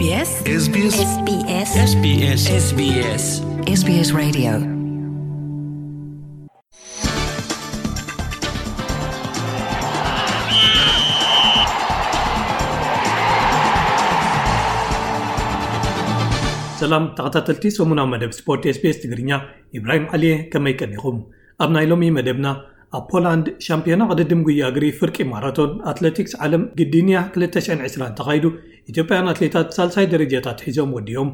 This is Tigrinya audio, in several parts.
SBS SBS SBS SBS SBS SBS Radio. ሰላም ተኸታተልቲ ሰሙናዊ መደብ ስፖርት SBS ትግርኛ፣ ኢብራሂም ዓሊየ፣ ከመይ ቀኒኹም? ኣብ ናይ ሎሚ መደብና፣ ኣብ ፖላንድ ሻምፒዮና ቅድድም ጉያ እግሪ ፍርቂ ማራቶን ኣትሌቲክስ ዓለም ግዲንያ ክልተ ሽሕን ዕስራን ተኻይዱ፣ ኢትዮጵያውያን ኣትሌታት ሳልሳይ ደረጃታት ሒዞም ወዲኦም።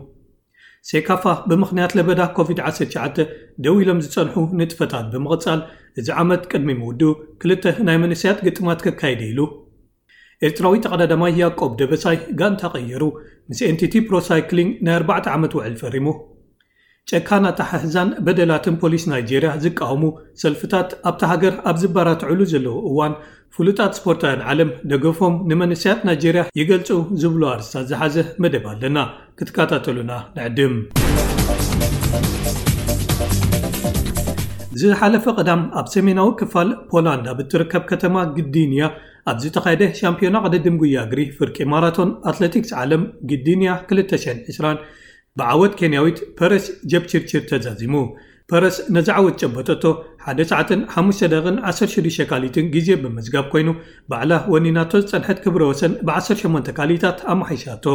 ሴካፋ ብምኽንያት ለበዳ ኮቪድ ዓሰርተ ትሽዓተ ደው ኢሎም ዝጸንሑ ንጥፈታት ብምቕጻል፣ እዚ ዓመት ቅድሚ ምውድኡ ክልተ ናይ መንእሰያት ግጥማት ከካይድ ኢሉ። ኤርትራዊ ተቐዳዳማይ ያዕቆብ ደበሳይ ጋንታ ቀይሩ፣ ምስ ኤንቲቲ ፕሮ ሳይክሊንግ ናይ ኣርባዕተ ዓመት ውዕል ፈሪሙ። ጨካን ኣተሓሕዛን በደላትን ፖሊስ ናይጄርያ ዝቃወሙ ሰልፍታት ኣብታ ሃገር ኣብ ዝበራትዑሉ ዘለዉ እዋን፣ ፍሉጣት ስፖርታውያን ዓለም ደገፎም ንመንእሰያት ናይጄርያ ይገልጹ ዝብሉ ኣርእስታት ዝሓዘ መደብ ኣለና። ክትከታተሉና ንዕድም። ዝሓለፈ ቀዳም ኣብ ሰሜናዊ ክፋል ፖላንድ ኣብ እትርከብ ከተማ ግዲንያ ኣብ ዝተኻየደ ሻምፒዮና ቅድድም ጉያ እግሪ ፍርቂ ማራቶን ኣትሌቲክስ ዓለም ግዲንያ ክልተ ሽሕን ዕስራን ብዓወት ኬንያዊት ፐረስ ጀፕቺርቺር ተዛዚሙ። ፐረስ ነዚ ዓወት ጨበጠቶ ሓደ ሰዓትን ሓሙሽተ ደቂቕን ዓሰርተ ሽዱሽተ ካሊትን ግዜ ብምዝጋብ ኮይኑ፣ ባዕላ ወኒናቶ ዝጸንሐት ክብረ ወሰን ብ ዓሰርተ ሸሞንተ ካሊታት ኣመሓይሻቶ።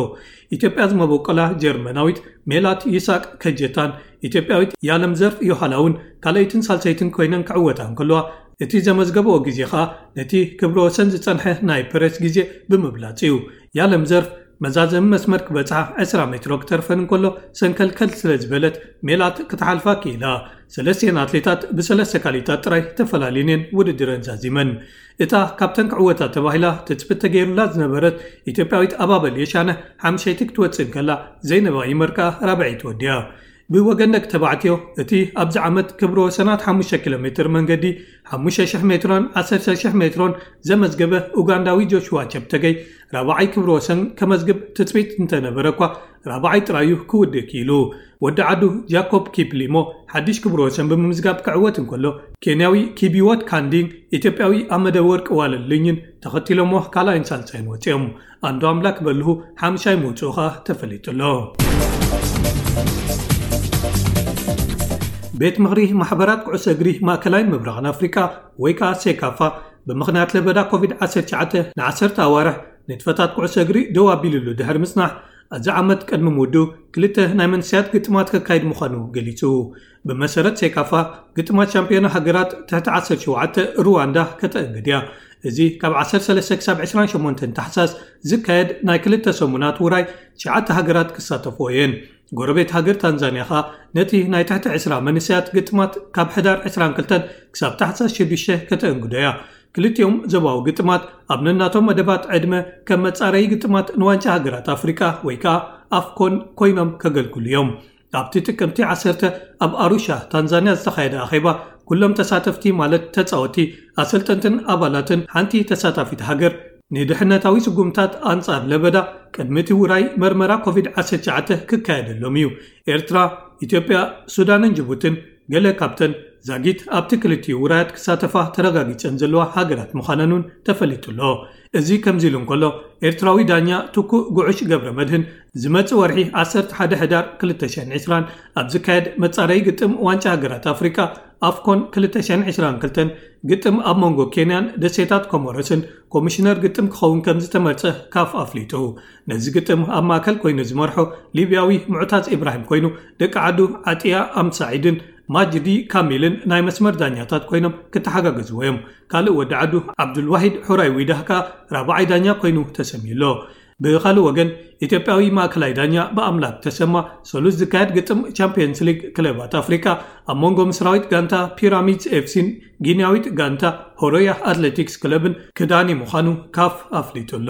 ኢትዮጵያ ዝመበቆላ ጀርመናዊት ሜላት ይስሐቅ ከጀታን ኢትዮጵያዊት ያለምዘርፍ ዮሃላ እውን ካልኣይትን ሳልሰይትን ኮይነን ክዕወታ እንከለዋ፣ እቲ ዘመዝገብኦ ግዜ ኸኣ ነቲ ክብረ ወሰን ዝጸንሐ ናይ ፐረስ ግዜ ብምብላጽ እዩ። ያለምዘርፍ መዛዘሚ መስመር ክበጽሓ ዕስራ ሜትሮ ክተርፈን እንከሎ፣ ሰንከልከል ስለ ዝበለት ሜላት ክትሓልፋ ክኢላ። ሰለስቲኤን ኣትሌታት ብሰለስተ ካሊታት ጥራይ ተፈላልየን እየን ውድድረን ዛዚመን። እታ ካብተን ክዕወታ ተባሂላ ትጽቢት ተገይሩላ ዝነበረት ኢትዮጵያዊት ኣባበል የሻነ ሓምሸይቲ ክትወጽእ እንከላ፣ ዘይነባ ይመር ከኣ ራብዐይቲ ወዲኣ። ብወገን ደቂ ተባዕትዮ፣ እቲ ኣብዚ ዓመት ክብረ ወሰናት ሓሙሽተ ኪሎ ሜትር መንገዲ፣ ሓሙሽተ ሽሕ ሜትሮን ዓሰርተ ሽሕ ሜትሮን ዘመዝገበ ኡጋንዳዊ ጆሽዋ ቸፕተገይ ራብዓይ ክብረ ወሰን ከመዝግብ ትጽቢት እንተነበረ እኳ፣ ራብዓይ ጥራዩ ክውድእ ክኢሉ። ወዲ ዓዱ ጃኮብ ኪፕሊሞ ሓድሽ ክብረ ወሰን ብምምዝጋብ ክዕወት እንከሎ፣ ኬንያዊ ኪቢዎት ካንዲንግ ኢትዮጵያዊ ኣመደ ወርቅ ዋለልኝን ተኸቲሎሞ ካልኣይን ሳልሳይን ወጺኦም። ኣንዶ ኣምላክ በልሁ ሓምሻይ ምውጽኡ ኸኣ ተፈሊጡ ኣሎ። ቤት ምኽሪ ማሕበራት ኩዕሶ እግሪ ማእከላይን ምብራቕን ኣፍሪቃ ወይ ከኣ ሴካፋ ብምኽንያት ለበዳ ኮቪድ ዓሰርተ ትሽዓተ ንዓሰርተ ኣዋርሕ ንጥፈታት ኩዕሶ እግሪ ደው ኣቢሉሉ ድሕሪ ምጽናሕ፣ እዚ ዓመት ቅድሚ ምውድኡ ክልተ ናይ መንእሰያት ግጥማት ከካይድ ምዃኑ ገሊጹ። ብመሰረት ሴካፋ፣ ግጥማት ሻምፒዮና ሃገራት ትሕቲ ዓሰርተ ሸውዓተ ሩዋንዳ ከተእንግድ እያ። እዚ ካብ ዓሰርተ ሰለስተ ክሳብ ዕስራን ሸሞንተን ታሕሳስ ዝካየድ ናይ ክልተ ሰሙናት ውራይ ትሽዓተ ሃገራት ክሳተፍኦ እየን። ጎረቤት ሃገር ታንዛንያ ኸኣ ነቲ ናይ ትሕቲ ዕስራ መንእሰያት ግጥማት ካብ ሕዳር ዕስራን ክልተን ክሳብ ታሕሳስ ሽዱሽተ ከተእንግዶ እያ። ክልቲኦም ዞባዊ ግጥማት ኣብ ነናቶም መደባት ዕድመ ከም መጻረዪ ግጥማት ንዋንጫ ሃገራት ኣፍሪቃ ወይ ከኣ ኣፍኮን ኮይኖም ከገልግሉ እዮም። ኣብቲ ጥቅምቲ ዓሰርተ ኣብ ኣሩሻ ታንዛንያ ዝተኻየደ ኣኼባ፣ ኩሎም ተሳተፍቲ ማለት ተጻወቲ፣ ኣሰልጠንትን ኣባላትን ሓንቲ ተሳታፊት ሃገር ንድሕነታዊ ስጉምታት ኣንጻር ለበዳ ቅድሚ እቲ ውራይ መርመራ ኮቪድ ዓሰርተ ትሽዓተ ክካየደሎም እዩ። ኤርትራ፣ ኢትዮጵያ፣ ሱዳንን ጅቡትን ገለ ካብተን ዛጊት ኣብቲ ክልቲኡ ውራያት ክሳተፋ ተረጋጊጸን ዘለዋ ሃገራት ምዃነን እውን ተፈሊጡ ኣሎ። እዚ ከምዚ ኢሉ እንከሎ፣ ኤርትራዊ ዳኛ ትኩእ ጉዑሽ ገብረ መድህን ዝመጽእ ወርሒ ዓሰርተ ሓደ ሕዳር ክልተ ሽሕን ዕስራን ኣብ ዝካየድ መጻረዪ ግጥም ዋንጫ ሃገራት ኣፍሪቃ ኣፍኮን ክልተ ሽሕን ዕስራን ክልተን ግጥም ኣብ መንጎ ኬንያን ደሴታት ኮሞሮስን ኮሚሽነር ግጥም ክኸውን ከም ዝተመርጸ ካፍ ኣፍሊጡ። ነዚ ግጥም ኣብ ማእከል ኮይኑ ዝመርሖ ሊብያዊ ሙዕታዝ ኢብራሂም ኮይኑ፣ ደቂ ዓዱ ዓጥያ ኣምሳዒድን ማጅዲ ካሚልን ናይ መስመር ዳኛታት ኮይኖም ክተሓጋገዝዎ እዮም። ካልእ ወዲ ዓዱ ዓብዱልዋሂድ ሑራይ ዊዳህ ከኣ ራብዓይ ዳኛ ኮይኑ ተሰምዩ ኣሎ። ብኻልእ ወገን፣ ኢትዮጵያዊ ማእከላይ ዳኛ ብኣምላክ ተሰማ፣ ሰሉስ ዝካየድ ግጥም ቻምፒየንስ ሊግ ክለባት ኣፍሪቃ ኣብ መንጎ ምስራዊት ጋንታ ፒራሚድስ ኤፍሲን ጊንያዊት ጋንታ ሆሮያ ኣትሌቲክስ ክለብን ክዳኒ ምዃኑ ካፍ ኣፍሊጡ ኣሎ።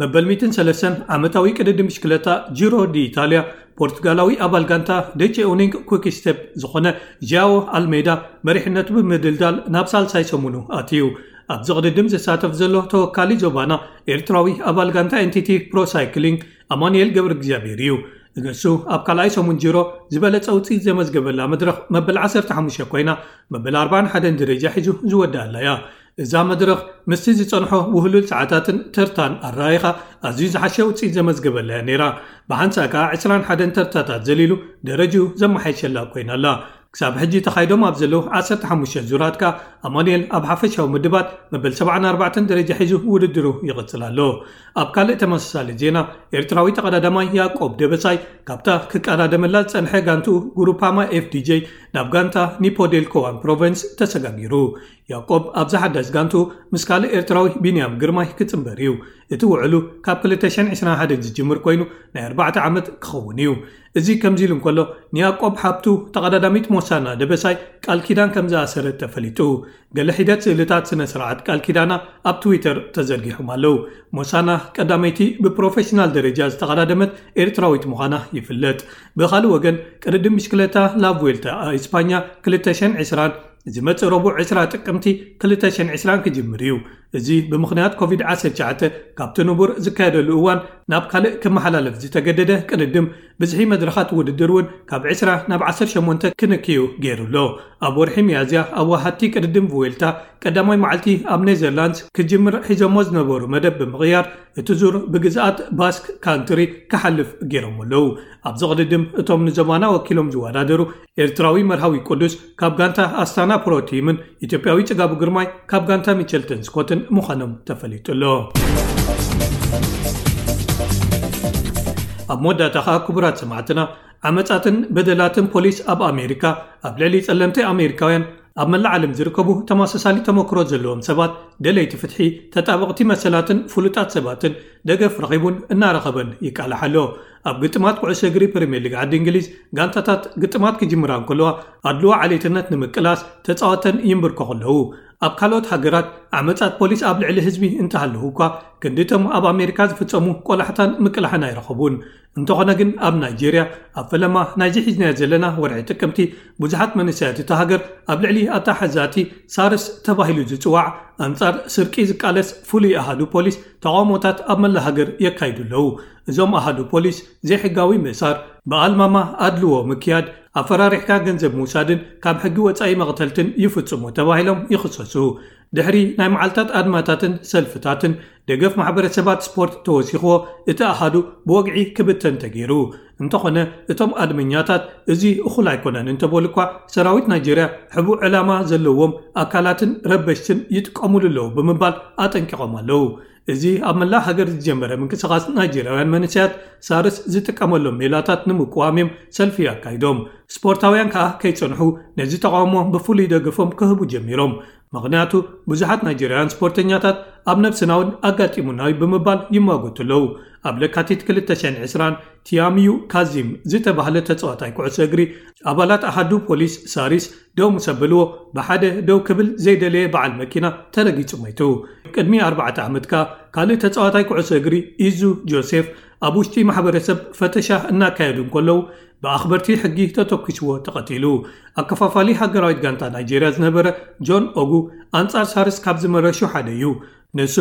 መበል ሚእትን ሰለስተን ዓመታዊ ቅድድም ብሽክለታ ጂሮ ዲ ኢታልያ፣ ፖርቱጋላዊ ኣባል ጋንታ ደቼ ኡኒንግ ኩክ ስቴፕ ዝኾነ ጃዎ ኣልሜዳ መሪሕነቱ ብምድልዳል ናብ ሳልሳይ ሰሙኑ ኣትዩ። ኣብዚ ቅድድም ዝሳተፍ ዘሎ ተወካሊ ዞባና ኤርትራዊ ኣባል ጋንታ ኤንቲቲ ፕሮ ሳይክሊንግ ኣማኑኤል ገብረ እግዚኣብሔር እዩ። ንሱ ኣብ ካልኣይ ሰሙን ጂሮ ዝበለጸ ውጽኢት ዘመዝገበላ መድረኽ መበል ዓሰርተ ሓሙሽተ ኮይና፣ መበል ኣርባዓን ሓደን ደረጃ ሒዙ ዝወደኣላ እያ። እዛ መድረኽ ምስቲ ዝጸንሖ ውህሉል ሰዓታትን ተርታን ኣረኣይኻ ኣዝዩ ዝሓሸ ውጽኢት ዘመዝገበላ እያ ነይራ። ብሓንሳእ ከኣ ዕስራን ሓደን ተርታታት ዘሊሉ ደረጅኡ ዘመሓየሸላ ኮይና ኣላ። ክሳብ ሕጂ ተኻይዶም ኣብ ዘለዉ ዓሰርተ ሓሙሽተ ዙራት ከኣ ኣማኑኤል ኣብ ሓፈሻዊ ምድባት መበል ሰብዓን ኣርባዕተን ደረጃ ሒዙ ውድድሩ ይቕጽል ኣሎ። ኣብ ካልእ ተመሳሳሊ ዜና፣ ኤርትራዊ ተቐዳዳማይ ያዕቆብ ደበሳይ ካብታ ክቀዳደመላ ዝጸንሐ ጋንትኡ ጉሩፓማ ኤፍዲጄ ናብ ጋንታ ኒፖዴልኮዋን ፕሮቨንስ ተሰጋጊሩ። ያዕቆብ ኣብዛ ሓዳስ ጋንትኡ ምስ ካልእ ኤርትራዊ ቢንያም ግርማይ ክጽንበር እዩ። እቲ ውዕሉ ካብ ክልተ ሽሕን ዕስራን ሓደን ዝጅምር ኮይኑ ናይ ኣርባዕተ ዓመት ክኸውን እዩ። እዚ ከምዚ ኢሉ እንከሎ፣ ንያዕቆብ ሓብቱ ተቐዳዳሚት ሞሳና ደበሳይ ቃል ኪዳን ከም ዝኣሰረት ተፈሊጡ። ገለ ሒደት ስእልታት ስነ ስርዓት ቃል ኪዳና ኣብ ትዊተር ተዘርጊሖም ኣለዉ። ሞሳና ቀዳመይቲ ብፕሮፌሽናል ደረጃ ዝተቐዳደመት ኤርትራዊት ምዃና ይፍለጥ። ብኻልእ ወገን፣ ቅድድም ብሽክለታ ላቭዌልታ እስፓኛ ክልተ ሽሕን ዕስራን ዝመጽእ ረቡዕ ዕስራ ጥቅምቲ ክልተ ሽሕን ዕስራን ክጅምር እዩ። እዚ ብምኽንያት ኮቪድ ዓሰርተ ትሽዓተ ካብቲ ንቡር ዝካየደሉ እዋን ናብ ካልእ ክመሓላለፍ ዝተገደደ ቅድድም፣ ብዝሒ መድረኻት ውድድር እውን ካብ ዕስራ ናብ ዓሰርተ ሸሞንተ ክንክዩ ገይሩ ኣሎ። ኣብ ወርሒ ሚያዝያ ኣዋሃድቲ ቅድድም ቭዌልታ ቀዳማይ መዓልቲ ኣብ ኔዘርላንድስ ክጅምር ሒዞሞ ዝነበሩ መደብ ብምቕያር፣ እቲ ዙር ብግዝኣት ባስክ ካንትሪ ክሓልፍ ገይሮም ኣለዉ። ኣብዚ ቅድድም እቶም ንዞባና ወኪሎም ዝወዳደሩ ኤርትራዊ መርሃዊ ቅዱስ ካብ ጋንታ ኣስታና ፕሮ ቲምን ኢትዮጵያዊ ጽጋቡ ግርማይ ካብ ጋንታ ሚቸልተን ስኮትን ምዃኖም ተፈሊጡ ኣሎ። ኣብ መወዳእታ ኸኣ ክቡራት ሰማዕትና፣ ዓመጻትን በደላትን ፖሊስ ኣብ ኣሜሪካ ኣብ ልዕሊ ጸለምቲ ኣሜሪካውያን ኣብ መላእ ዓለም ዝርከቡ ተመሳሳሊ ተመክሮ ዘለዎም ሰባት፣ ደለይቲ ፍትሒ፣ ተጣበቕቲ መሰላትን ፍሉጣት ሰባትን ደገፍ ረኺቡን እናረኸበን ይቃላሕ ኣሎ። ኣብ ግጥማት ኩዕሶ እግሪ ፕሪምየር ሊግ ዓዲ እንግሊዝ፣ ጋንታታት ግጥማት ክጅምራ እንከለዋ ኣድልዎ ዓሌትነት ንምቅላስ ተጻወተን ይንብርከኹ ኣለዉ። ኣብ ካልኦት ሃገራት ዓመጻት ፖሊስ ኣብ ልዕሊ ህዝቢ እንተሃለዉ እኳ፣ ክንዲ እቶም ኣብ ኣሜሪካ ዝፍጸሙ ቆላሕታን ምቅላሕን ኣይረኸቡን። እንተኾነ ግን ኣብ ናይጄርያ፣ ኣብ ፈለማ ናይዚ ሒዝናዮ ዘለና ወርሒ ጥቅምቲ፣ ብዙሓት መንእሰያት እታ ሃገር ኣብ ልዕሊ ኣተሓዛቲ ሳርስ ተባሂሉ ዝጽዋዕ ኣንጻር ስርቂ ዝቃለስ ፍሉይ ኣሃዱ ፖሊስ ተቓውሞታት ኣብ መላ ሃገር የካይዱ ኣለዉ። እዞም ኣሃዱ ፖሊስ ዘይሕጋዊ ምእሳር፣ ብኣልማማ ኣድልዎ ምክያድ፣ ኣፈራሪሕካ ገንዘብ ምውሳድን ካብ ሕጊ ወጻኢ መቕተልትን ይፍጽሙ ተባሂሎም ይኽሰሱ። ድሕሪ ናይ መዓልታት ኣድማታትን ሰልፍታትን፣ ደገፍ ማሕበረሰባት ስፖርት ተወሲኽዎ፣ እቲ ኣሃዱ ብወግዒ ክብተን ተገይሩ። እንተኾነ፣ እቶም ኣድመኛታት እዚ እኹል ኣይኮነን እንተበሉ እኳ፣ ሰራዊት ናይጄርያ ሕቡእ ዕላማ ዘለዎም ኣካላትን ረበሽትን ይጥቀሙሉ ኣለዉ ብምባል ኣጠንቂቖም ኣለዉ። እዚ ኣብ መላእ ሃገር ዝጀመረ ምንቅስቓስ ናይጄርያውያን መንእሰያት፣ ሳርስ ዝጥቀመሎም ሜላታት ንምቅዋም እዮም ሰልፊ ኣካይዶም። ስፖርታውያን ከኣ ከይጸንሑ ነዚ ተቓውሞ ብፍሉይ ደገፎም ክህቡ ጀሚሮም። ምኽንያቱ፣ ብዙሓት ናይጄርያውያን ስፖርተኛታት ኣብ ነብስና እውን ኣጋጢሙና እዩ ብምባል ይሟገቱ ኣለዉ። ኣብ ለካቲት ክልተ ሽሕን ዕስራን፣ ቲያሚዩ ካዚም ዝተባህለ ተጻዋታይ ኩዕሶ እግሪ፣ ኣባላት ኣሃዱ ፖሊስ ሳሪስ ደው ምስ ኣበልዎ፣ ብሓደ ደው ክብል ዘይደለየ በዓል መኪና ተረጊጹ ሞይቱ። ቅድሚ ኣርባዕተ ዓመት ከኣ ካልእ ተጻዋታይ ኩዕሶ እግሪ፣ ኢዙ ጆሴፍ፣ ኣብ ውሽጢ ማሕበረሰብ ፈተሻ እናካየዱ እንከለዉ፣ ብኣኽበርቲ ሕጊ ተተኲስዎ ተቐቲሉ። ኣከፋፋሊ ሃገራዊት ጋንታ ናይጄርያ ዝነበረ ጆን ኦጉ፣ ኣንጻር ሳርስ ካብ ዝመረሹ ሓደ እዩ። ንሱ፣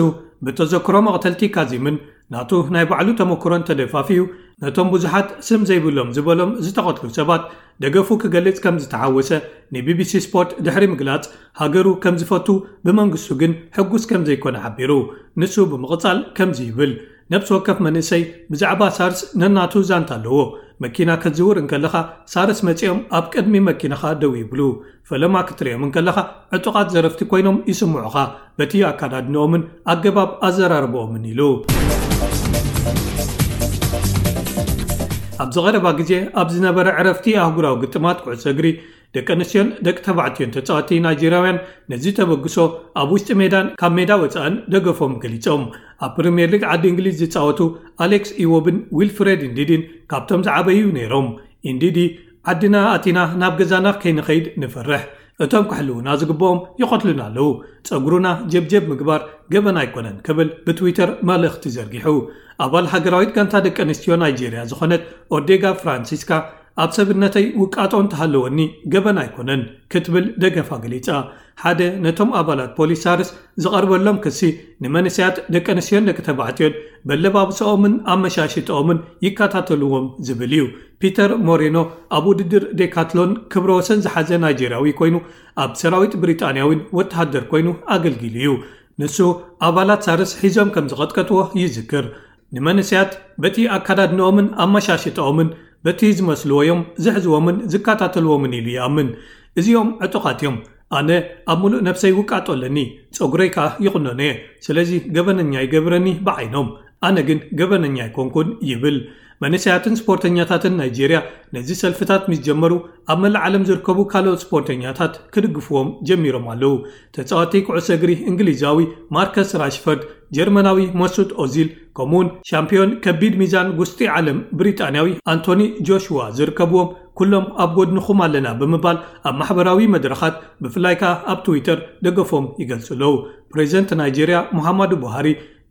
ብተዘክሮ መቕተልቲ ካዚምን ናቱ ናይ ባዕሉ ተመክሮን ተደፋፊኡ፣ ነቶም ብዙሓት ስም ዘይብሎም ዝበሎም ዝተቐትሉ ሰባት ደገፉ ክገልጽ ከም ዝተሓወሰ ንቢቢሲ ስፖርት ድሕሪ ምግላጽ፣ ሃገሩ ከም ዝፈቱ፣ ብመንግስቱ ግን ሕጉስ ከም ዘይኮነ ሓቢሩ። ንሱ ብምቕጻል ከምዚ ይብል፣ ነብሲ ወከፍ መንእሰይ ብዛዕባ ሳርስ ነናቱ ዛንታ ኣለዎ። መኪና ክትዝውር እንከለኻ፣ ሳርስ መጺኦም ኣብ ቅድሚ መኪናኻ ደው ይብሉ። ፈለማ ክትርእዮም እንከለኻ፣ ዕጡቓት ዘረፍቲ ኮይኖም ይስምዑኻ፣ በቲ ኣካዳድንኦምን ኣገባብ ኣዘራርባኦምን ኢሉ። ኣብዚ ቀረባ ግዜ ኣብ ዝነበረ ዕረፍቲ ኣህጉራዊ ግጥማት ኩዕሶ እግሪ፣ ደቂ ኣንስትዮን ደቂ ተባዕትዮን ተጻወትቲ ናይጄርያውያን ነዚ ተበግሶ ኣብ ውሽጢ ሜዳን ካብ ሜዳ ወጻእን ደገፎም ገሊጾም። ኣብ ፕሪምየር ሊግ ዓዲ እንግሊዝ ዝጻወቱ ኣሌክስ ኢዎብን ዊልፍሬድ ኢንዲዲን ካብቶም ዝዓበዩ ነይሮም። ኢንዲዲ፣ "ዓድና ኣቲና ናብ ገዛና ከይንኸይድ ንፈርሕ። እቶም ክሕልዉና ዝግብኦም ይቐትሉና ኣለዉ። ጸጉሩና ጀብጀብ ምግባር ገበን ኣይኮነን" ክብል ብትዊተር መልእኽቲ ዘርጊሑ። ኣባል ሃገራዊት ጋንታ ደቂ ኣንስትዮ ናይጄርያ ዝኾነት ኦዴጋ ፍራንሲስካ፣ ኣብ ሰብነተይ ውቃጦ እንተሃለወኒ ገበን ኣይኮነን ክትብል ደገፋ ገሊጻ። ሓደ ነቶም ኣባላት ፖሊስ ሳርስ ዝቐርበሎም ክሲ ንመንእሰያት ደቂ ኣንስትዮን ደቂ ተባዕትዮን በለባብሰኦምን ኣመሻሽጠኦምን ይከታተልዎም ዝብል እዩ። ፒተር ሞሬኖ ኣብ ውድድር ዴካትሎን ክብረ ወሰን ዝሓዘ ናይጄርያዊ ኮይኑ ኣብ ሰራዊት ብሪጣንያዊን ወተሃደር ኮይኑ ኣገልጊሉ እዩ። ንሱ ኣባላት ሳርስ ሒዞም ከም ዝቐጥቀጥዎ ይዝክር። ንመንእሰያት በቲ ኣካዳድንኦምን ኣመሻሽጠኦምን በቲ ዝመስልዎ እዮም ዝሕዝዎምን ዝከታተልዎምን ኢሉ ይኣምን። እዚኦም ዕጡቓት እዮም። ኣነ ኣብ ሙሉእ ነብሰይ ውቃጦ ኣለኒ፣ ጸጉረይ ከኣ ይቑነኖ እየ። ስለዚ ገበነኛ ይገብረኒ ብዓይኖም። ኣነ ግን ገበነኛ ኣይኮንኩን ይብል። መንእሰያትን ስፖርተኛታትን ናይጄርያ ነዚ ሰልፍታት ምስ ጀመሩ ኣብ መላእ ዓለም ዝርከቡ ካልኦት ስፖርተኛታት ክድግፍዎም ጀሚሮም ኣለዉ። ተጻዋቲ ኩዕሶ እግሪ እንግሊዛዊ ማርከስ ራሽፈርድ፣ ጀርመናዊ መሱት ኦዚል ከምኡውን ሻምፒዮን ከቢድ ሚዛን ጉስጢ ዓለም ብሪጣንያዊ ኣንቶኒ ጆሽዋ ዝርከብዎም ኩሎም ኣብ ጎድንኹም ኣለና ብምባል ኣብ ማሕበራዊ መድረኻት ብፍላይ ከኣ ኣብ ትዊተር ደገፎም ይገልጹ ኣለዉ። ፕሬዚደንት ናይጄርያ ሙሃማዱ ቡሃሪ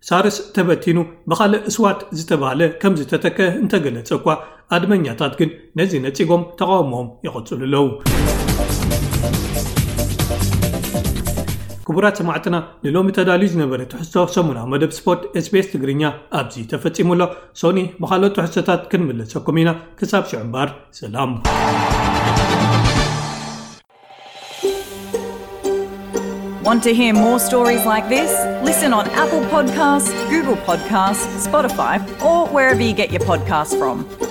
ሳርስ ተበቲኑ ብኻልእ እስዋት ዝተባህለ ከም ዝተተከ እንተገለጸ እኳ ኣድመኛታት ግን ነዚ ነጺጎም ተቃውሞኦም ይቐጽሉ ኣለዉ። ክቡራት ሰማዕትና ንሎሚ ተዳልዩ ዝነበረ ትሕዝቶ ሰሙናዊ መደብ ስፖርት SBS ትግርኛ ኣብዚ ተፈጺሙ ኣሎ። ሶኒ ብኻልኦት ትሕዝቶታት ክንምለሰኩም ኢና። ክሳብ ሽዑ እምበር ሰላም። Want to hear more stories like this? Listen on Apple Podcasts, Google Podcasts, Spotify, or wherever you get your podcasts from.